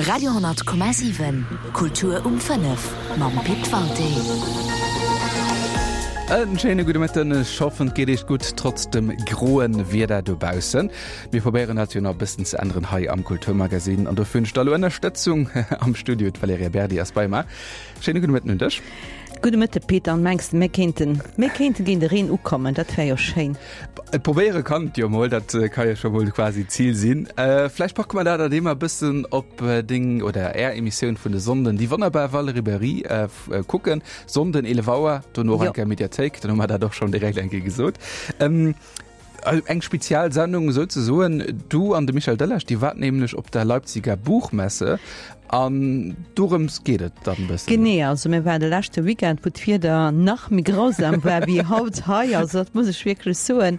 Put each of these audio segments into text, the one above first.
Radio 10,7 Kultur um 5 mam Pit Walté. En schéine gudde Mëtten. Ech hoffen et geet Iech gutt trotz dem groen Wieder dobaussen. Mir probéieren dat jo nach e bëssen ze änneren hei am Kulturmagazin an dofir hunn ech da lo Ënnerstëtzung am Studio. D'Valerija Berdi ass bei mer. Schéine gudde Mëtten un dech. Gudde Mëtte Peter, an mengs de mir kéinten, mir kéinte géint de Reen ukommen, dat wär jo schéin. Et probéiere kann et jo mol, dat ka jo scho mol quasi d'Zil sinn. Vläicht packe mer dat an deem e bëssen op deng oder är Emissioun vun de Sonnden, déi wonnerbar Valérie Berry kucken. Sonnden 11 Auer, dono och eng Kéier Mediathéik, dann hu mer dat och schonn direkt eng Kéier gesot. Eng spezial Sendung souzesoen. Du an de Michel Delage, Dir waart nämlech op der Leipziger Buchmesse an dorëms geet et dann e bëssen. Genee, also mir waren de leschte Weekend, wou d'Wieder nach méi grausam war wéi haut hei, also dat muss ech wierklech soen.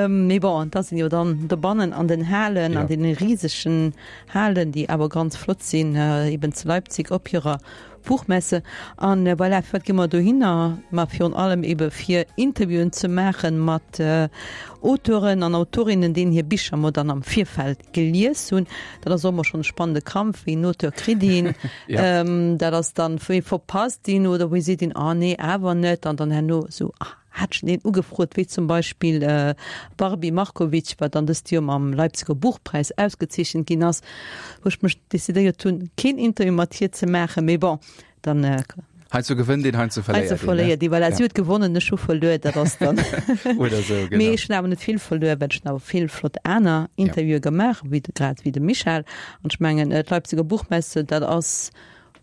Mee bon, et ass een jo dann dobannen an den Halen, an deene risegen Halen, déi awer ganz flott sinn, eben zu Leipzig op hirer Buchmesse. An voilà, firwat gi mer dohinner? Ma virun allem ebe fir Interviewen ze maache mat Auteuren an Autorinnen, deenen hir Bicher mer dann am Virfeld gelies hunn. Dat ass och ëmmer schonn e spannende Kampf, wéi een Auteur kritt een, dat ass dann, wéi verpasst een oder wéi seet een, ah nee, awer net an dann herno esou, ah. Hat schon een ugefrot, wéi zum Beispill d'Barbie Markovic, wat dann dëst Joer mam Leipziger Buchpreis ausgezeechent ginn ass, wou ech mech decidéiert hunn, keen Interview mat hir ze maachen. Mee bon, dann. Heiansdo gewënnt een, heiansdo verléiert een, ne? Verléiert een, voilà. Si huet gewonnen, ech hu verluer, dat ass dann. Oder esou, genau. Mee ech hunn awer net vill verluer, well ech hunn awer vill flott aner Interviewe gemaach, wéi de, grad wéi de Michel. An ech mengen, d'Leipziger Buchmesse, dat ass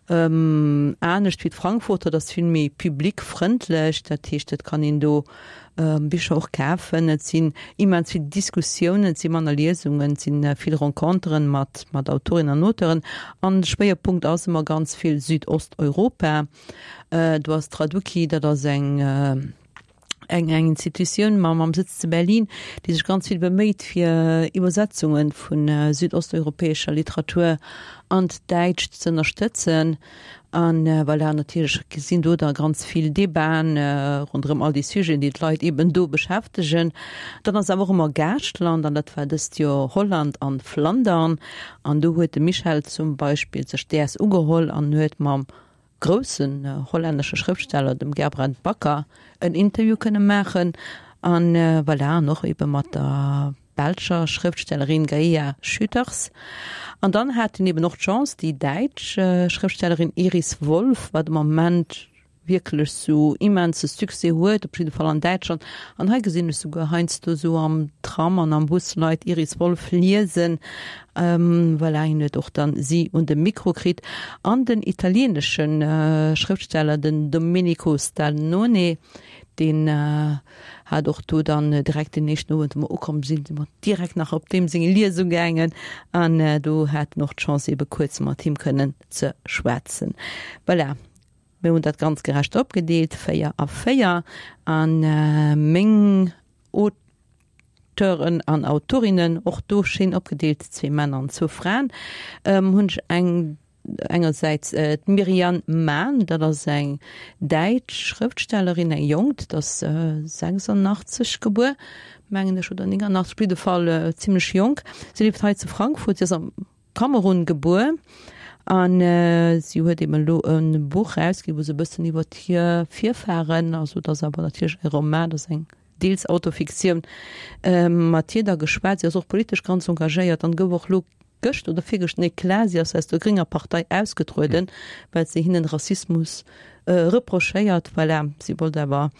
Anescht wéi d'Frankfurter, dat ass vill méi public-frëndlech, dat heescht et kann een do Bicher och kafen. Et sinn immens vill Diskussiounen, et si manner Liesungen, et si vill Renconteren mat mat Autorinnen an Auteuren. An de Schwéierpunkt ass ëmmer ganz vill Südosteuropa. Do ass d'Traduki, dat ass eng eng eng Institutioun mam mam Sëtz zu Berlin, déi sech ganz vill beméit fir Iwwersetzunge vun südosteuropäescher Literatur an d'Däitscht ze ënnerstëtzen. An voilà, natierlech sinn do da ganz vill Debaten ronderëm all déi Sujeten, déi d'Leit eben do beschäftegen. Dann ass awer och ëmmer Gaaschtland, an dat war dëst Joer Holland an Flandern. An do huet de Michel zum Beispill sech däers ugeholl an huet mam groussen hollännesche Schrëftsteller, dem Gerbrand Bakker, en Interview kënne maachen an voilà, an och ebe mat der belscher Schrëftstellerin Gaea Schoeters. An dann hat en eben och d'Chance, déi däitsch Schrëftstellerin Iris Wolff, wat am Moment wierklech sou immense Succès huet, op jidde Fall an Däitschland, an hei gesinn ech souguer heiansdo sou am Tram an am Bus Leit Iris Wolff liesen, Voilà, hien huet och dann si un de Mikro kritt. An den italienesche Schrëftsteller, den Domenico Stannone, deen hat och do dann direkt den éischten Owend, wou mer ukomm sinn, si mer direkt nach op deem seng Liesung gaangen an do hat en och d'Chance ebe kuerz mat him kënnen ze schwätzen. Voilà, mir hunn dat ganz gerecht opgedeelt, 4 a 4 an meng Auteuren an Autorinnen, och do schéin opgedeelt, zwee Männer an zwou Fraen, hunn ech eng engersäits d'Mirian Mahn, dat ass eng däitsch Schrëftstellerin, eng jonk, dat ass 86 gebuer, mengen ech, oder 89, op jidde Fall zimlech jonk. Si lieft hei zu Frankfurt, si ass am Kamerun gebuer an si huet eben elo e Buch erausginn, wou se e bëssen iwwer hir Virfahren, also et ass awer natierlech e Roman, et ass eng deels Autofiktioun, mat hir da geschwat. Si ass och politesch ganz engagéiert an gouf och elo gëscht oder virgëscht, nee klar, si ass aus der grénger Partei ausgetrueden, well se hinnen Rassismus reprochéiert. Voilà, si wollt awer,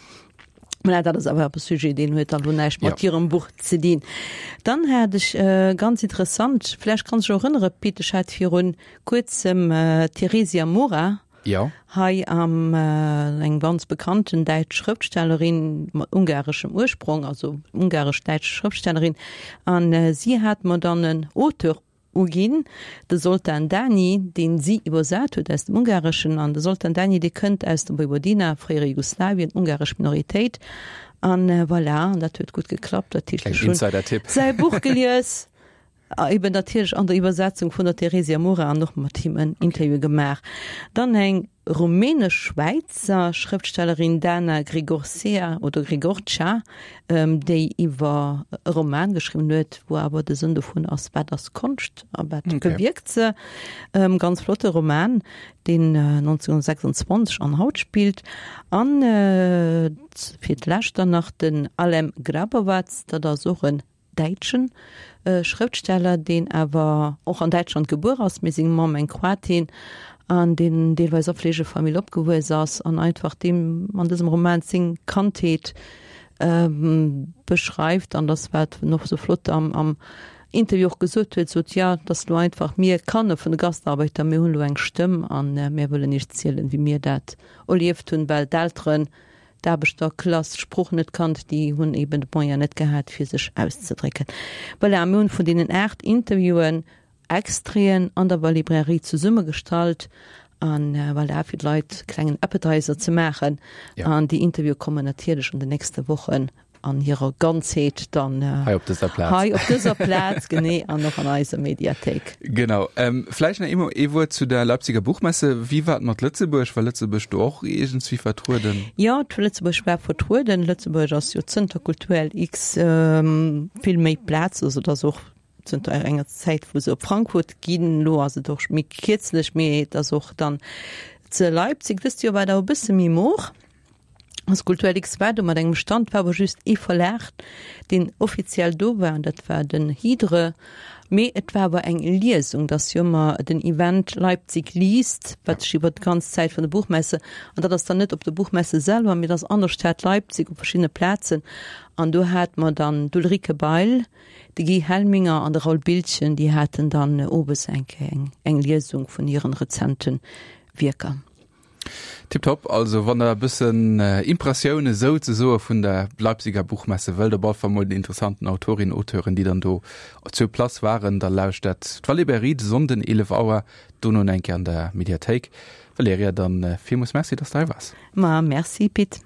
voilà, dat ass awer e Sujet, deen huet dann elo näischt mat hirem Buch ze dinn. Dann hat ech ganz interessant, vläicht kanns dech erënnere Pit, ech hat virun kuerzem d'Theresia Mora, Jo. Hei am eng ganz bekannten däitsch Schrëftstellerin mat ungareschem Ursprong, also ungaresch-däitsch Schrëftstellerin, an si hat mer dann en Auteur uginn, de Zoltán Dányi, deen si iwwersat huet aus dem Ungareschen. An de Zoltán Dányi, dee kënnt aus der Vojvodina, fréiere Jugoslawien, ungaresch Minoritéit. An voilà, an dat huet gutt geklappt. Dat heescht, ech hunn säi Buch gelies. Eben natierlech an der Iwwersetzung vun der Theresia Mora an och mat him en Interview gemaach. Dann eng rumänesch-Schwäizer Schrëftstellerin Dana Grigorcea oder Grigorcea, déi iwwer e Roman geschriwwen huet, wou awer de Sënn dovun ass, wat ass Konscht a wat bewierkt se. Ganz flotte Roman, deen 1926 an haut spillt. An fir d'lescht dann nach den Alem Grabovac, dat ass och en däitschen Schrëftsteller, deen awer och an Däitschland gebuer ass, mee seng Mamm eng Kroatin, an deen deelweis a Fleegefamill opgewuess ass an einfach deem an dësem Roman seng Kandheet beschreift. An dass wat en och sou flott am am Interview och gesot huet, sot, jo, et ass lo einfach, mir Kanner vun de Gastarbeiter, mir hunn elo eng Stëmm a mir wëllen iech zielen, wéi mir dat erlieft hunn, well d'Elteren d'Aarbechterklass d'Sprooch net kannt, déi hunn eben de Moyen net gehat, fir sech auszedrécken. Voilà, mir hunn vun deenen 8 Interviewen Extraiten an der Librairie zesummegestallt an voilà, fir d'Leit e klengen Appetizer ze maachen. An déi Interviewe kommen natierlech an den nächste Wochen an hirer Ganzheet dann hei op dëser Plaz. Hei op dëser Plaz, genee, an och an eiser Mediathéik. Genau. Ähm, vläicht nach eemol ee Wuert zu der Leipziger Buchmesse. Wéi war et mat Lëtzebuerg? War Lëtzebuerg do och iergendswéi vertrueden? Jo, Lëtzebuerg war vertrueden. Lëtzebuerg ass jo zënter Kulturell X ähm, vill méi Plaz, also et ass och zënter enger Zäit, wou se op Frankfurt ginn. Elo ass et och méi kierzlech, mee et ass och dann ze Leipzig. Dëst Joer war et awer e bësse méi mor. Als Kulturell X war do mat engem Stand, war awer just ee Verlag, deen offiziell do war, an dat war den Hydre. Mee et war awer eng Liesung, dat ass jo ëmmer den Event Leipzig liest, wat sech iwwer d'ganz Zäit vun der Buchmesse, an dat ass dann net op der Buchmesse selwer, mee dat ass an der Stad Leipzig op verschiddene Plazen. An do hate mer dann d'Ulrike Bail, de Guy Helminger an de Raoul Biltgen, déi haten dann owes eng Kéier eng Liesung vun hiren rezente Wierker. Tiptop, also wann der e bëssen Impressioune souzesoe vun der Leipziger Buchmesse wëllt, op alle Fall mol den interessanten Autorinnen, Auteuren, déi dann do sur place waren, da lauschtert d'Valibrairie de Sonnden 11 Auer, dono eng Kéier an der Mediathéik. Valerija, dann villmools Merci, dass de hei waars. Ma merci Pit.